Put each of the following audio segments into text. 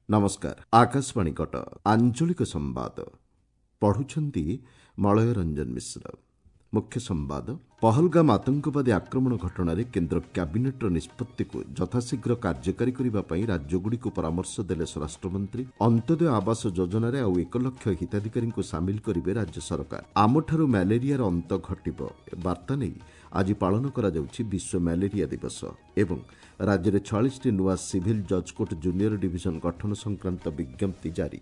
ନମସ୍କାର, ଆକାଶବାଣୀ କଟକ, ଆଞ୍ଚଳିକ ସମ୍ବାଦ ପଢୁଛନ୍ତି ମଳୟ ରଞ୍ଜନ ମିଶ୍ର। ମୁଖ୍ୟ ସମ୍ବାଦ। ପହଲଗାମ ଆତଙ୍କବାଦୀ ଆକ୍ରମଣ ଘଟଣାରେ କେନ୍ଦ୍ର କ୍ୟାବିନେଟ୍ର ନିଷ୍ପତ୍ତିକୁ ଯଥାଶୀଘ୍ର କାର୍ଯ୍ୟକାରୀ କରିବା ପାଇଁ ରାଜ୍ୟଗୁଡ଼ିକୁ ପରାମର୍ଶ ଦେଲେ ସ୍ୱରାଷ୍ଟ୍ରମନ୍ତ୍ରୀ। ଅନ୍ତ୍ୟୋଦୟ ଆବାସ ଯୋଜନାରେ ଆଉ 1 ଲକ୍ଷ ହିତାଧିକାରୀଙ୍କୁ ସାମିଲ କରିବେ ରାଜ୍ୟ ସରକାର। ଆମଠାରୁ ମ୍ୟାଲେରିଆର ଅନ୍ତ ଘଟିବ ବାର୍ତ୍ତା ନେଇ ଆଜି ପାଳନ କରାଯାଉଛି ବିଶ୍ୱ ମ୍ୟାଲେରିଆ ଦିବସ। ଏବଂ ରାଜ୍ୟରେ 46ଟି ନୂଆ ସିଭିଲ୍ ଜଜ୍କୋର୍ଟ ଜୁନିୟର ଡିଭିଜନ ଗଠନ ସଂକ୍ରାନ୍ତ ବିଜ୍ଞପ୍ତି ଜାରି।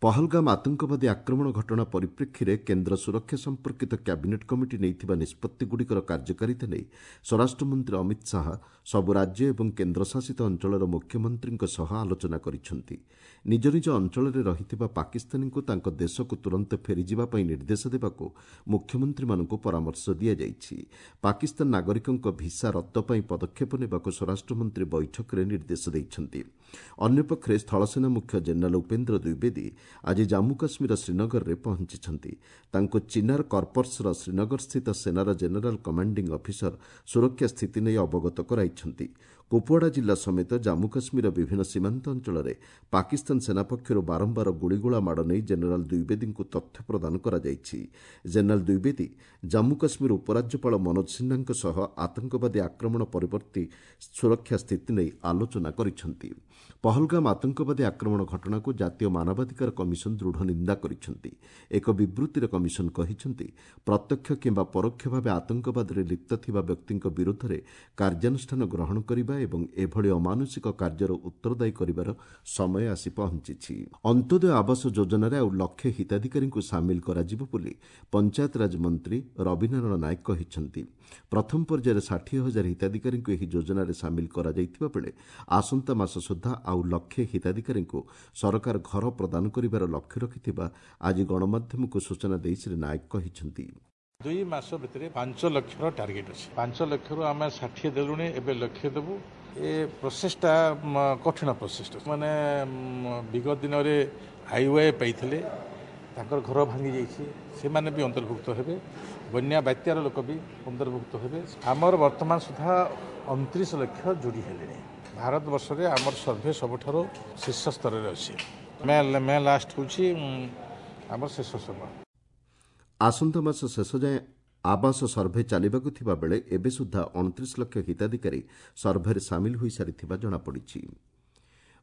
ପହଲଗାମ ଆତଙ୍କବାଦୀ ଆକ୍ରମଣ ଘଟଣା ପରିପ୍ରେକ୍ଷୀରେ କେନ୍ଦ୍ର ସୁରକ୍ଷା ସମ୍ପର୍କିତ କ୍ୟାବିନେଟ୍ କମିଟି ନେଇଥିବା ନିଷ୍ପତ୍ତିଗୁଡ଼ିକର କାର୍ଯ୍ୟକାରିତା ନେଇ ସ୍ୱରାଷ୍ଟ୍ରମନ୍ତ୍ରୀ ଅମିତ ଶାହା ସବୁ ରାଜ୍ୟ ଏବଂ କେନ୍ଦ୍ରଶାସିତ ଅଞ୍ଚଳର ମୁଖ୍ୟମନ୍ତ୍ରୀଙ୍କ ସହ ଆଲୋଚନା କରିଛନ୍ତି। ନିଜ ନିଜ ଅଞ୍ଚଳରେ ରହିଥିବା ପାକିସ୍ତାନୀଙ୍କୁ ତାଙ୍କ ଦେଶକୁ ତୁରନ୍ତ ଫେରିଯିବା ପାଇଁ ନିର୍ଦ୍ଦେଶ ଦେବାକୁ ମୁଖ୍ୟମନ୍ତ୍ରୀମାନଙ୍କୁ ପରାମର୍ଶ ଦିଆଯାଇଛି। ପାକିସ୍ତାନ ନାଗରିକଙ୍କ ଭିସା ରଦ୍ଦ ପାଇଁ ପଦକ୍ଷେପ ନେବାକୁ ସ୍ୱରାଷ୍ଟ୍ରମନ୍ତ୍ରୀ ବୈଠକରେ ନିର୍ଦ୍ଦେଶ ଦେଇଛନ୍ତି। ଅନ୍ୟପକ୍ଷରେ ସ୍ଥଳସେନା ମୁଖ୍ୟ ଜେନେରାଲ ଉପେନ୍ଦ୍ର ଦ୍ୱିବେଦୀ ଆଜି ଜାମ୍ମୁ କାଶ୍ମୀର ଶ୍ରୀନଗରରେ ପହଞ୍ଚିଛନ୍ତି। ତାଙ୍କୁ ଚିନାର କର୍ପସର ଶ୍ରୀନଗରସ୍ଥିତ ସେନାର ଜେନେରାଲ କମାଣ୍ଡିଂ ଅଫିସର ସୁରକ୍ଷା ସ୍ଥିତି ନେଇ ଅବଗତ କରାଇଛନ୍ତି। କୁପୱାଡ଼ା ଜିଲ୍ଲା ସମେତ ଜାମ୍ମୁ କାଶ୍ମୀରର ବିଭିନ୍ନ ସୀମାନ୍ତ ଅଞ୍ଚଳରେ ପାକିସ୍ତାନ ସେନା ପକ୍ଷରୁ ବାରମ୍ବାର ଗୁଳିଗୋଳା ମାଡ଼ ନେଇ ଜେନେରାଲ ଦ୍ୱିବେଦୀଙ୍କୁ ତଥ୍ୟ ପ୍ରଦାନ କରାଯାଇଛି। ଜେନେରାଲ ଦ୍ୱିବେଦୀ ଜାମ୍ମୁ କାଶ୍ମୀର ଉପରାଜ୍ୟପାଳ ମନୋଜ ସିହ୍ନାଙ୍କ ସହ ଆତଙ୍କବାଦୀ ଆକ୍ରମଣ ପରବର୍ତ୍ତୀ ସୁରକ୍ଷା ସ୍ଥିତି ନେଇ ଆଲୋଚନା କରିଛନ୍ତି। ପହଲଗାମ ଆତଙ୍କବାଦୀ ଆକ୍ରମଣ ଘଟଣାକୁ ଜାତୀୟ ମାନବାଧିକାର କମିଶନ ଦୃଢ଼ ନିନ୍ଦା କରିଛନ୍ତି। ଏକ ବିବୃତ୍ତିରେ କମିଶନ କହିଛନ୍ତି, ପ୍ରତ୍ୟକ୍ଷ କିମ୍ବା ପରୋକ୍ଷ ଭାବେ ଆତଙ୍କବାଦରେ ଲିପ୍ତ ଥିବା ବ୍ୟକ୍ତିଙ୍କ ବିରୁଦ୍ଧରେ କାର୍ଯ୍ୟାନୁଷ୍ଠାନ ଗ୍ରହଣ କରିବା ଏବଂ ଏଭଳି ଅମାନୁଷିକ କାର୍ଯ୍ୟର ଉତ୍ତରଦାୟୀ କରିବାର ସମୟ ଆସି ପହଞ୍ଚିଛି। ଅନ୍ତ୍ୟୋଦୟ ଆବାସ ଯୋଜନାରେ ଆଉ ଲକ୍ଷେ ହିତାଧିକାରୀଙ୍କୁ ସାମିଲ କରାଯିବ ବୋଲି ପଞ୍ଚାୟତରାଜ ମନ୍ତ୍ରୀ ରବିନାରାୟଣ ନାୟକ କହିଛନ୍ତି। ପ୍ରଥମ ପର୍ଯ୍ୟାୟରେ 60,000 ହିତାଧିକାରୀଙ୍କୁ ଏହି ଯୋଜନାରେ ସାମିଲ କରାଯାଇଥିବା ବେଳେ ଆସନ୍ତା ମାସ ସୁଦ୍ଧା ଆଉ ଲକ୍ଷେ ହିତାଧିକାରୀଙ୍କୁ ସରକାର ଘର ପ୍ରଦାନ କରିବାର ଲକ୍ଷ୍ୟ ରଖିଥିବା ଆଜି ଗଣମାଧ୍ୟମକୁ ସୂଚନା ଦେଇ ଶ୍ରୀ ନାୟକ କହିଛନ୍ତି। 2 ମାସ ଭିତରେ 5 ଲକ୍ଷର ଟାର୍ଗେଟ୍ ଅଛି। 5 ଲକ୍ଷରୁ ଆମେ 60 ଦେଲୁଣି, ଏବେ ଲକ୍ଷେ ଦେବୁ। ଏ ପ୍ରୋସେସଟା କଠିନ ପ୍ରୋସେସଟା, ମାନେ ବିଗତ ଦିନରେ ଆଇୱାଇ ପାଇଥିଲେ, ତାଙ୍କର ଘର ଭାଙ୍ଗି ଯାଇଛି, ସେମାନେ ବି ଅନ୍ତର୍ଭୁକ୍ତ ହେବେ। ବନ୍ୟା ବାତ୍ୟାର ଲୋକ ବି ଅନ୍ତର୍ଭୁକ୍ତ ହେବେ। ଆମର ବର୍ତ୍ତମାନ ସୁଦ୍ଧା 29 ଲକ୍ଷ ଯୋଡ଼ି ହେଲେଣି। ଭାରତବର୍ଷରେ ଆମର ସର୍ଭେ ସବୁଠାରୁ ଶୀର୍ଷ ସ୍ତରରେ ଅଛି। ମେ ଲାଷ୍ଟ ହେଉଛି ଆମର ଶେଷ ସମୟ। ଆସନ୍ତା ମାସ ଶେଷ ଯାଏଁ ଆବାସ ସର୍ଭେ ଚାଲିବାକୁ ଥିବା ବେଳେ ଏବେ ସୁଦ୍ଧା 29 ଲକ୍ଷ ହିତାଧିକାରୀ ସର୍ଭେରେ ସାମିଲ ହୋଇସାରିଥିବା ଜଣାପଡ଼ିଛି।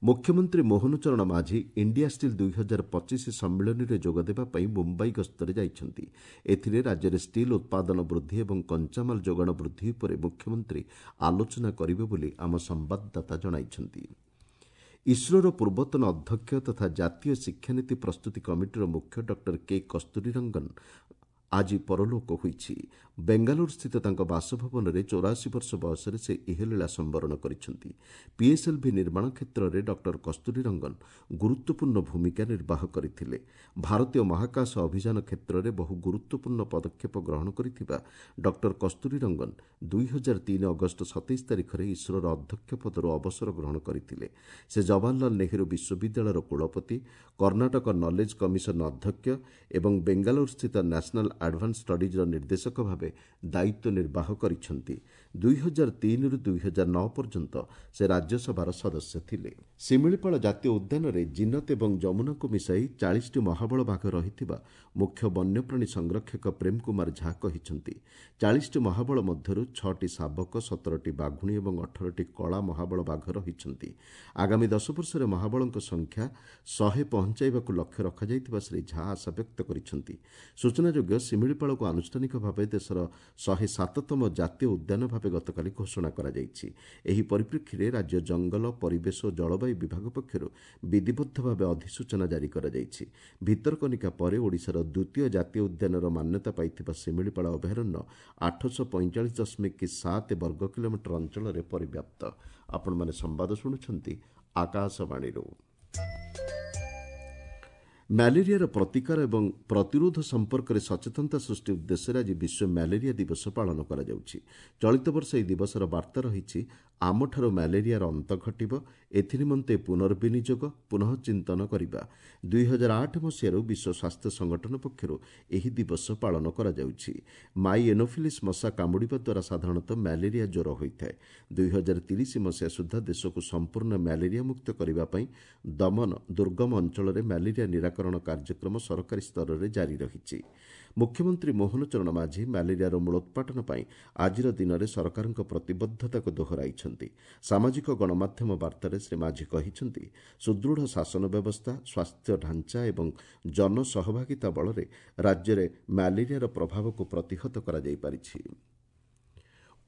ମୁଖ୍ୟମନ୍ତ୍ରୀ ମୋହନ ଚରଣ ମାଝୀ ଇଣ୍ଡିଆ ଷ୍ଟିଲ୍ 2025 ସମ୍ମିଳନୀରେ ଯୋଗଦେବା ପାଇଁ ମୁମ୍ବାଇ ଗସ୍ତରେ ଯାଇଛନ୍ତି। ଏଥିରେ ରାଜ୍ୟରେ ଷ୍ଟିଲ୍ ଉତ୍ପାଦନ ବୃଦ୍ଧି ଏବଂ କଞ୍ଚାମାଲ ଯୋଗାଣ ବୃଦ୍ଧି ଉପରେ ମୁଖ୍ୟମନ୍ତ୍ରୀ ଆଲୋଚନା କରିବେ ବୋଲି ଆମ ସମ୍ବାଦଦାତା ଜଣାଇଛନ୍ତି। ଇସ୍ରୋର ପୂର୍ବତନ ଅଧ୍ୟକ୍ଷ ତଥା ଜାତୀୟ ଶିକ୍ଷାନୀତି ପ୍ରସ୍ତୁତି କମିଟିର ମୁଖ୍ୟ ଡକ୍ଟର କେ କସ୍ତୁରୀରଙ୍ଗନ ଆଜି ପରଲୋକ ହୋଇଛି। ବେଙ୍ଗାଲୁରୁସ୍ଥିତ ତାଙ୍କ ବାସଭବନରେ 84 ବର୍ଷ ବୟସରେ ସେ ଇହଲୀଳା ସମ୍ବରଣ କରିଛନ୍ତି। ପିଏସ୍ଏଲ୍ଭି ନିର୍ମାଣ କ୍ଷେତ୍ରରେ ଡକ୍ଟର କସ୍ତୁରୀରଙ୍ଗନ ଗୁରୁତ୍ୱପୂର୍ଣ୍ଣ ଭୂମିକା ନିର୍ବାହ କରିଥିଲେ। ଭାରତୀୟ ମହାକାଶ ଅଭିଯାନ କ୍ଷେତ୍ରରେ ବହୁ ଗୁରୁତ୍ୱପୂର୍ଣ୍ଣ ପଦକ୍ଷେପ ଗ୍ରହଣ କରିଥିବା ଡକ୍ଟର କସ୍ତୁରୀରଙ୍ଗନ 2003 ଅଗଷ୍ଟ 27 ତାରିଖରେ ଇସ୍ରୋର ଅଧ୍ୟକ୍ଷ ପଦରୁ ଅବସର ଗ୍ରହଣ କରିଥିଲେ। ସେ ଜବାହରଲାଲ ନେହେରୁ ବିଶ୍ୱବିଦ୍ୟାଳୟର କୁଳପତି, କର୍ଣ୍ଣାଟକ ନଲେଜ କମିଶନ ଅଧ୍ୟକ୍ଷ ଏବଂ ବେଙ୍ଗାଲୁରୁସ୍ଥିତ ନ୍ୟାସନାଲ ଆଡଭାନ୍ସ ଷ୍ଟଡିଜ୍ର ନିର୍ଦ୍ଦେଶକ ଭାବେ ଦାୟିତ୍ୱ ନିର୍ବାହ କରିଛନ୍ତି। 2003ରୁ 2009 ପର୍ଯ୍ୟନ୍ତ ସେ ରାଜ୍ୟସଭାର ସଦସ୍ୟ ଥିଲେ। ଶିମିଳିପାଳ ଜାତୀୟ ଉଦ୍ୟାନରେ ଜିନତ ଏବଂ ଯମୁନାକୁ ମିଶାଇ 40ଟି ମହାବଳ ବାଘ ରହିଥିବା ମୁଖ୍ୟ ବନ୍ୟପ୍ରାଣୀ ସଂରକ୍ଷକ ପ୍ରେମ କୁମାର ଝା କହିଛନ୍ତି। 40ଟି ମହାବଳ ମଧ୍ୟରୁ 6ଟି ଶାବକ, 17ଟି ବାଘୁଣୀ ଏବଂ 18ଟି କଳା ମହାବଳ ବାଘ ରହିଛନ୍ତି। ଆଗାମୀ 10 ବର୍ଷରେ ମହାବଳଙ୍କ ସଂଖ୍ୟା 100 ପହଞ୍ଚାଇବାକୁ ଲକ୍ଷ୍ୟ ରଖାଯାଇଥିବା ଶ୍ରୀ ଝା ଆଶା ବ୍ୟକ୍ତ କରିଛନ୍ତି। ସୂଚନାଯୋଗ୍ୟ, ଶିମିଳିପାଳକୁ ଆନୁଷ୍ଠାନିକ ଭାବେ ଦେଶର 107ତମ ଜାତୀୟ ଉଦ୍ୟାନ ଭାବେ ଗତକାଲି ଘୋଷଣା କରାଯାଇଛି। ଏହି ପରିପ୍ରେକ୍ଷୀରେ ରାଜ୍ୟ ଜଙ୍ଗଲ, ପରିବେଶ ଓ ଜଳବାୟୁ ବିଭାଗ ପକ୍ଷରୁ ବିଧିବଦ୍ଧ ଭାବେ ଅଧିସୂଚନା ଜାରି କରାଯାଇଛି। ଭିତରକନିକା ପରେ ଓଡ଼ିଶାର ଦ୍ୱିତୀୟ ଜାତୀୟ ଉଦ୍ୟାନର ମାନ୍ୟତା ପାଇଥିବା ଶିମିଳିପାଳ ଅଭୟାରଣ୍ୟ 845.7 ବର୍ଗ କିଲୋମିଟର ଅଞ୍ଚଳରେ ପରିବ୍ୟାପ୍ତ। ଆପଣମାନେ ସମ୍ବାଦ ଶୁଣୁଛନ୍ତି ଆକାଶବାଣୀରୁ। ମ୍ୟାଲେରିଆର ପ୍ରତିକାର ଏବଂ ପ୍ରତିରୋଧ ସମ୍ପର୍କରେ ସଚେତନତା ସୃଷ୍ଟି ଉଦ୍ଦେଶ୍ୟରେ ଆଜି ବିଶ୍ୱ ମ୍ୟାଲେରିଆ ଦିବସ ପାଳନ କରାଯାଉଛି। ଚଳିତ ବର୍ଷ ଏହି ଦିବସର ବାର୍ତ୍ତା ରହିଛି, ଆମଠାରୁ ମ୍ୟାଲେରିଆର ଅନ୍ତ ଘଟିବ, ଏଥିନିମନ୍ତେ ପୁନର୍ବିନିଯୋଗ, ପୁନଃଚିନ୍ତନ କରିବା। 2008 ମସିହାରୁ ବିଶ୍ୱ ସ୍ୱାସ୍ଥ୍ୟ ସଂଗଠନ ପକ୍ଷରୁ ଏହି ଦିବସ ପାଳନ କରାଯାଉଛି। ମାଇ ଏନୋଫିଲିସ୍ ମଶା କାମୁଡ଼ିବା ଦ୍ୱାରା ସାଧାରଣତଃ ମ୍ୟାଲେରିଆ ଜ୍ୱର ହୋଇଥାଏ। 2030 ମସିହା ସୁଦ୍ଧା ଦେଶକୁ ସମ୍ପୂର୍ଣ୍ଣ ମ୍ୟାଲେରିଆ ମୁକ୍ତ କରିବା ପାଇଁ ଦମନ ଦୁର୍ଗମ ଅଞ୍ଚଳରେ ମ୍ୟାଲେରିଆ ନିରାକରଣ କାର୍ଯ୍ୟକ୍ରମ ସରକାରୀ ସ୍ତରରେ ଜାରି ରହିଛି। ମୁଖ୍ୟମନ୍ତ୍ରୀ ମୋହନ ଚରଣ ମାଝୀ ମ୍ୟାଲେରିଆର ମୂଳୋତ୍ପାଟନ ପାଇଁ ଆଜିର ଦିନରେ ସରକାରଙ୍କ ପ୍ରତିବଦ୍ଧତାକୁ ଦୋହରାଇଛନ୍ତି। ସାମାଜିକ ଗଣମାଧ୍ୟମ ବାର୍ତ୍ତାରେ ଶ୍ରୀ ମାଝୀ କହିଛନ୍ତି, ସୁଦୃଢ଼ ଶାସନ ବ୍ୟବସ୍ଥା, ସ୍ୱାସ୍ଥ୍ୟ ଢାଞ୍ଚା ଏବଂ ଜନସହଭାଗିତା ବଳରେ ରାଜ୍ୟରେ ମ୍ୟାଲେରିଆର ପ୍ରଭାବକୁ ପ୍ରତିହତ କରାଯାଇପାରିଛି।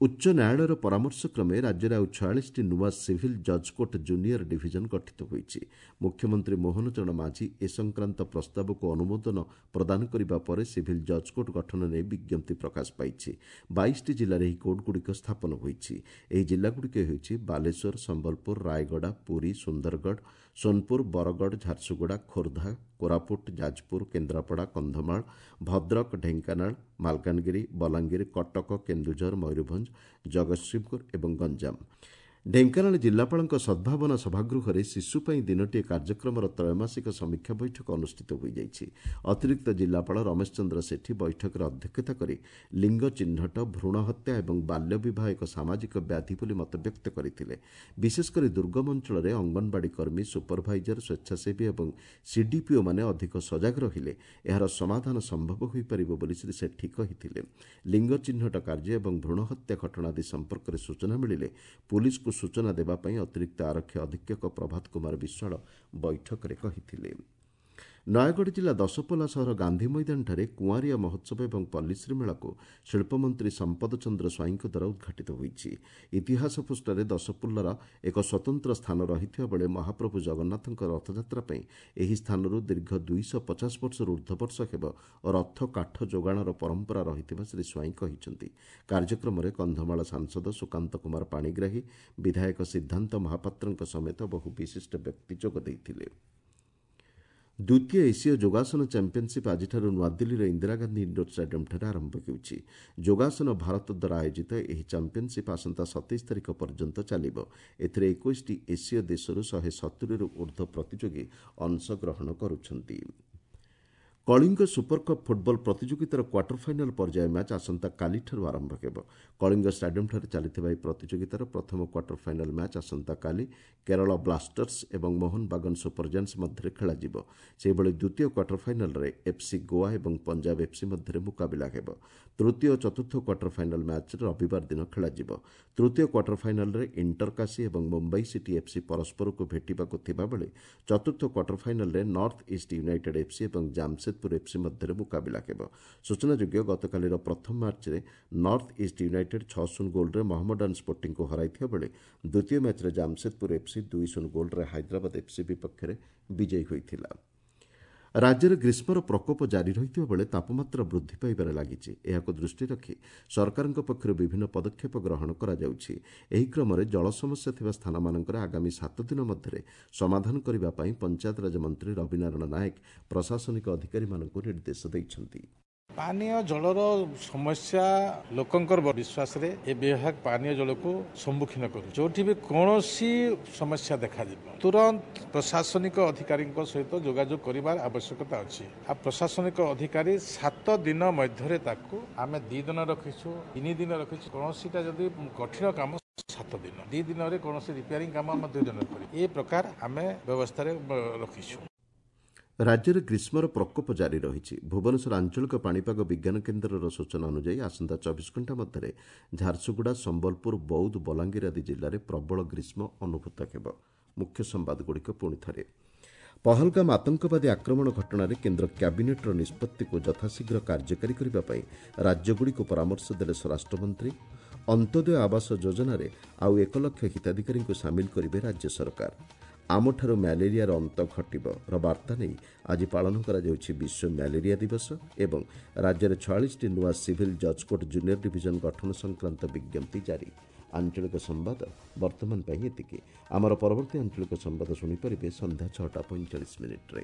ଉଚ୍ଚ ନ୍ୟାୟାଳୟର ପରାମର୍ଶ କ୍ରମେ ରାଜ୍ୟରେ ଆଉ 46ଟି ନୂଆ ସିଭିଲ୍ ଜଜ୍ କୋର୍ଟ ଜୁନିୟର ଡିଭିଜନ ଗଠିତ ହୋଇଛି। ମୁଖ୍ୟମନ୍ତ୍ରୀ ମୋହନ ଚରଣ ମାଝୀ ଏ ସଂକ୍ରାନ୍ତ ପ୍ରସ୍ତାବକୁ ଅନୁମୋଦନ ପ୍ରଦାନ କରିବା ପରେ ସିଭିଲ୍ ଜଜ୍ କୋର୍ଟ ଗଠନ ନେଇ ବିଜ୍ଞପ୍ତି ପ୍ରକାଶ ପାଇଛି। 22ଟି ଜିଲ୍ଲାରେ ଏହି କୋର୍ଟଗୁଡ଼ିକ ସ୍ଥାପନ ହୋଇଛି। ଏହି ଜିଲ୍ଲାଗୁଡ଼ିକ ହେଉଛି ବାଲେଶ୍ୱର, ସମ୍ବଲପୁର, ରାୟଗଡ଼ା, ପୁରୀ, ସୁନ୍ଦରଗଡ଼, ସୋନପୁର, ବରଗଡ଼, ଝାରସୁଗୁଡ଼ା, ଖୋର୍ଦ୍ଧା, କୋରାପୁଟ, ଯାଜପୁର, କେନ୍ଦ୍ରାପଡ଼ା, କନ୍ଧମାଳ, ଭଦ୍ରକ, ଢେଙ୍କାନାଳ, ମାଲକାନଗିରି, ବଲାଙ୍ଗୀର, କଟକ, କେନ୍ଦୁଝର, ମୟୂରଭଞ୍ଜ, ଜଗତସିଂହପୁର ଏବଂ ଗଞ୍ଜାମ। ଢେଙ୍କାନାଳ ଜିଲ୍ଲାପାଳଙ୍କ ସଦ୍ଭାବନା ସଭାଗୃହରେ ଶିଶୁ ପାଇଁ ଦିନଟିଏ କାର୍ଯ୍ୟକ୍ରମର ତ୍ରୈମାସିକ ସମୀକ୍ଷା ବୈଠକ ଅନୁଷ୍ଠିତ ହୋଇଯାଇଛି। ଅତିରିକ୍ତ ଜିଲ୍ଲାପାଳ ରମେଶ ଚନ୍ଦ୍ର ସେଠୀ ବୈଠକରେ ଅଧ୍ୟକ୍ଷତା କରି ଲିଙ୍ଗ ଚିହ୍ନଟ, ଭ୍ରୂଣ ହତ୍ୟା ଏବଂ ବାଲ୍ୟ ବିବାହ ଏକ ସାମାଜିକ ବ୍ୟାଧି ବୋଲି ମତବ୍ୟକ୍ତ କରିଥିଲେ। ବିଶେଷକରି ଦୁର୍ଗମ ଅଞ୍ଚଳରେ ଅଙ୍ଗନବାଡ଼ି କର୍ମୀ, ସୁପରଭାଇଜର, ସ୍ୱେଚ୍ଛାସେବୀ ଏବଂ ସିଡିପିଓମାନେ ଅଧିକ ସଜାଗ ରହିଲେ ଏହାର ସମାଧାନ ସମ୍ଭବ ହୋଇପାରିବ ବୋଲି ଶ୍ରୀ ସେଠୀ କହିଥିଲେ। ଲିଙ୍ଗ ଚିହ୍ନଟ କାର୍ଯ୍ୟ ଏବଂ ଭ୍ରୂଣ ହତ୍ୟା ଘଟଣା ଆଦି ସମ୍ପର୍କରେ ସୂଚନା ମିଳିଲେ ପୁଲିସକୁ ସୂଚନା ଦେବା ପାଇଁ ଅତିରିକ୍ତ ଆରକ୍ଷୀ ଅଧୀକ୍ଷକ ପ୍ରଭାତ କୁମାର ବିଶ୍ୱାଳ ବୈଠକରେ କହିଥିଲେ। ନୟାଗଡ଼ ଜିଲ୍ଲା ଦଶପଲ୍ଲା ସହର ଗାନ୍ଧୀ ମଇଦାନଠାରେ କୁଆଁରିଆ ମହୋତ୍ସବ ଏବଂ ପଲ୍ଲୀଶ୍ରୀ ମେଳାକୁ ଶିଳ୍ପମନ୍ତ୍ରୀ ସମ୍ପଦ ଚନ୍ଦ୍ର ସ୍ୱାଇଁଙ୍କ ଦ୍ୱାରା ଉଦ୍ଘାଟିତ ହୋଇଛି। ଇତିହାସ ପୃଷ୍ଠାରେ ଦଶପଲ୍ଲାର ଏକ ସ୍ୱତନ୍ତ୍ର ସ୍ଥାନ ରହିଥିବା ବେଳେ ମହାପ୍ରଭୁ ଜଗନ୍ନାଥଙ୍କ ରଥଯାତ୍ରା ପାଇଁ ଏହି ସ୍ଥାନରୁ ଦୀର୍ଘ 250 ବର୍ଷରୁ ଉର୍ଦ୍ଧ୍ୱ ବର୍ଷ ହେବ ରଥ କାଠ ଯୋଗାଣର ପରମ୍ପରା ରହିଥିବା ଶ୍ରୀ ସ୍ୱାଇଁ କହିଛନ୍ତି। କାର୍ଯ୍ୟକ୍ରମରେ କନ୍ଧମାଳ ସାଂସଦ ସୁକାନ୍ତ କୁମାର ପାଣିଗ୍ରାହୀ, ବିଧାୟକ ସିଦ୍ଧାନ୍ତ ମହାପାତ୍ରଙ୍କ ସମେତ ବହୁ ବିଶିଷ୍ଟ ବ୍ୟକ୍ତି ଯୋଗ ଦେଇଥିଲେ। ଦ୍ୱିତୀୟ ଏସୀୟ ଯୋଗାସନ ଚାମ୍ପିୟନସିପ୍ ଆଜିଠାରୁ ନୂଆଦିଲ୍ଲୀର ଇନ୍ଦିରା ଗାନ୍ଧୀ ଇଣ୍ଡୋର ଷ୍ଟାଡିୟମ୍ଠାରେ ଆରମ୍ଭ ହେଉଛି। ଯୋଗାସନ ଭାରତ ଦ୍ୱାରା ଆୟୋଜିତ ଏହି ଚାମ୍ପିୟନସିପ୍ ଆସନ୍ତା 27 ତାରିଖ ପର୍ଯ୍ୟନ୍ତ ଚାଲିବ। ଏଥିରେ 21ଟି ଏସୀୟ ଦେଶରୁ 170ରୁ ଉର୍ଦ୍ଧ୍ୱ ପ୍ରତିଯୋଗୀ ଅଂଶଗ୍ରହଣ କରୁଛନ୍ତି। କଳିଙ୍ଗ ସୁପରକପ୍ ଫୁଟବଲ ପ୍ରତିଯୋଗିତାର କ୍ୱାର୍ଟର ଫାଇନାଲ୍ ପର୍ଯ୍ୟାୟ ମ୍ୟାଚ୍ ଆସନ୍ତାକାଲିଠାରୁ ଆରମ୍ଭ ହେବ। କଳିଙ୍ଗ ଷ୍ଟାଡିୟମ୍ଠାରେ ଚାଲିଥିବା ଏହି ପ୍ରତିଯୋଗିତାର ପ୍ରଥମ କ୍ୱାର୍ଟର ଫାଇନାଲ୍ ମ୍ୟାଚ୍ ଆସନ୍ତାକାଲି କେରଳ ବ୍ଲାଷ୍ଟର୍ସ ଏବଂ ମୋହନ ବାଗନ ସୁପରଜାୟାଣ୍ଟସ୍ ମଧ୍ୟରେ ଖେଳାଯିବ। ସେହିଭଳି ଦ୍ୱିତୀୟ କ୍ୱାର୍ଟର ଫାଇନାଲ୍ରେ ଏଫ୍ସି ଗୋଆ ଏବଂ ପଞ୍ଜାବ ଏଫ୍ସି ମଧ୍ୟରେ ମୁକାବିଲା ହେବ। ତୃତୀୟ ଓ ଚତୁର୍ଥ କ୍ୱାର୍ଟର ଫାଇନାଲ୍ ମ୍ୟାଚ୍ ରବିବାର ଦିନ ଖେଳାଯିବ। ତୃତୀୟ କ୍ୱାର୍ଟର ଫାଇନାଲ୍ରେ ଇଣ୍ଟରକାଶୀ ଏବଂ ମୁମ୍ବାଇ ସିଟି ଏଫ୍ସି ପରସ୍ପରକୁ ଭେଟିବାକୁ ଥିବାବେଳେ ଚତୁର୍ଥ କ୍ୱାର୍ଟର ଫାଇନାଲ୍ରେ ନର୍ଥ ଇଷ୍ଟ ୟୁନାଇଟେଡ୍ ଏଫ୍ସି ଏବଂ ଜାମସେଦପୁର ଏଫ୍ସି ମଧ୍ୟରେ ମୁକାବିଲା ହେବ। ସୂଚନାଯୋଗ୍ୟ, ଗତକାଲିର ପ୍ରଥମ ମ୍ୟାଚ୍ରେ ନର୍ଥ ଇଷ୍ଟ ୟୁନାଇଟେଡ୍ 6-0 ଗୋଲ୍ରେ ମହମ୍ମଡାନ ସ୍ପୋର୍ଟିଂକୁ ହରାଇଥିବା ବେଳେ ଦ୍ୱିତୀୟ ମ୍ୟାଚ୍ରେ ଜାମସେଦପୁର ଏଫ୍ସି 2-0 ଗୋଲ୍ରେ ହାଇଦ୍ରାବାଦ ଏଫ୍ସି ବିପକ୍ଷରେ ବିଜୟୀ ହୋଇଥିଲା। ରାଜ୍ୟରେ ଗ୍ରୀଷ୍ମର ପ୍ରକୋପ ଜାରି ରହିଥିବା ବେଳେ ତାପମାତ୍ରା ବୃଦ୍ଧି ପାଇବାରେ ଲାଗିଛି। ଏହାକୁ ଦୃଷ୍ଟିରେ ରଖି ସରକାରଙ୍କ ପକ୍ଷରୁ ବିଭିନ୍ନ ପଦକ୍ଷେପ ଗ୍ରହଣ କରାଯାଉଛି। ଏହି କ୍ରମରେ ଜଳ ସମସ୍ୟା ଥିବା ସ୍ଥାନମାନଙ୍କରେ ଆଗାମୀ 7 ଦିନ ମଧ୍ୟରେ ସମାଧାନ କରିବା ପାଇଁ ପଞ୍ଚାୟତରାଜ ମନ୍ତ୍ରୀ ରବିନାରାୟଣ ନାୟକ ପ୍ରଶାସନିକ ଅଧିକାରୀମାନଙ୍କୁ ନିର୍ଦ୍ଦେଶ ଦେଇଛନ୍ତି। ପାନୀୟ ଜଳର ସମସ୍ୟା ଲୋକଙ୍କର ବିଶ୍ୱାସରେ ଏ ବିଭାଗ ପାନୀୟ ଜଳକୁ ସମ୍ମୁଖୀନ କରୁ। ଯୋଉଠି ବି କୌଣସି ସମସ୍ୟା ଦେଖାଯିବ, ତୁରନ୍ତ ପ୍ରଶାସନିକ ଅଧିକାରୀଙ୍କ ସହିତ ଯୋଗାଯୋଗ କରିବାର ଆବଶ୍ୟକତା ଅଛି। ଆଉ ପ୍ରଶାସନିକ ଅଧିକାରୀ 7 ଦିନ ମଧ୍ୟରେ, ତାକୁ ଆମେ 2 ଦିନ ରଖିଛୁ, 3 ଦିନ ରଖିଛୁ। କୌଣସିଟା ଯଦି କଠିନ କାମ 7 ଦିନ, 2 ଦିନରେ, କୌଣସି ରିପେୟାରିଂ କାମ ଆମେ 2 ଦିନରେ କରିବୁ। ଏ ପ୍ରକାର ଆମେ ବ୍ୟବସ୍ଥାରେ ରଖିଛୁ। ରାଜ୍ୟରେ ଗ୍ରୀଷ୍ମର ପ୍ରକୋପ ଜାରି ରହିଛି। ଭୁବନେଶ୍ୱର ଆଞ୍ଚଳିକ ପାଣିପାଗ ବିଜ୍ଞାନ କେନ୍ଦ୍ରର ସୂଚନା ଅନୁଯାୟୀ ଆସନ୍ତା 24 ଘଣ୍ଟା ମଧ୍ୟରେ ଝାରସୁଗୁଡ଼ା, ସମ୍ବଲପୁର, ବୌଦ୍ଧ, ବଲାଙ୍ଗୀର ଆଦି ଜିଲ୍ଲାରେ ପ୍ରବଳ ଗ୍ରୀଷ୍ମ ଅନୁଭୂତ ହେବ। ମୁଖ୍ୟ ସମ୍ବାଦଗୁଡ଼ିକ ପୁଣି ଥରେ। ପହଲଗାମ ଆତଙ୍କବାଦୀ ଆକ୍ରମଣ ଘଟଣାରେ କେନ୍ଦ୍ର କ୍ୟାବିନେଟ୍ର ନିଷ୍ପତ୍ତିକୁ ଯଥାଶୀଘ୍ର କାର୍ଯ୍ୟକାରୀ କରିବା ପାଇଁ ରାଜ୍ୟଗୁଡ଼ିକୁ ପରାମର୍ଶ ଦେଲେ ସ୍ୱରାଷ୍ଟ୍ରମନ୍ତ୍ରୀ। ଅନ୍ତ୍ୟୋଦୟ ଆବାସ ଯୋଜନାରେ ଆଉ 1 ଲକ୍ଷ ହିତାଧିକାରୀଙ୍କୁ ସାମିଲ କରିବେ ରାଜ୍ୟ ସରକାର। ଆମଠାରୁ ମ୍ୟାଲେରିଆର ଅନ୍ତ ଘଟିବ ର ବାର୍ତ୍ତା ନେଇ ଆଜି ପାଳନ କରାଯାଉଛି ବିଶ୍ୱ ମ୍ୟାଲେରିଆ ଦିବସ ଏବଂ ରାଜ୍ୟରେ 46ଟି ନୂଆ ସିଭିଲ୍ ଜଜ୍ କୋର୍ଟ ଜୁନିୟର ଡିଭିଜନ ଗଠନ ସଂକ୍ରାନ୍ତ ବିଜ୍ଞପ୍ତି ଜାରି। ଆଞ୍ଚଳିକ ସମ୍ବାଦ ବର୍ତ୍ତମାନ ପାଇଁ ଏତିକି। ଆମର ପରବର୍ତ୍ତୀ ଆଞ୍ଚଳିକ ସମ୍ବାଦ ଶୁଣିପାରିବେ ସନ୍ଧ୍ୟା 6ଟା 45 ମିନିଟ୍ରେ।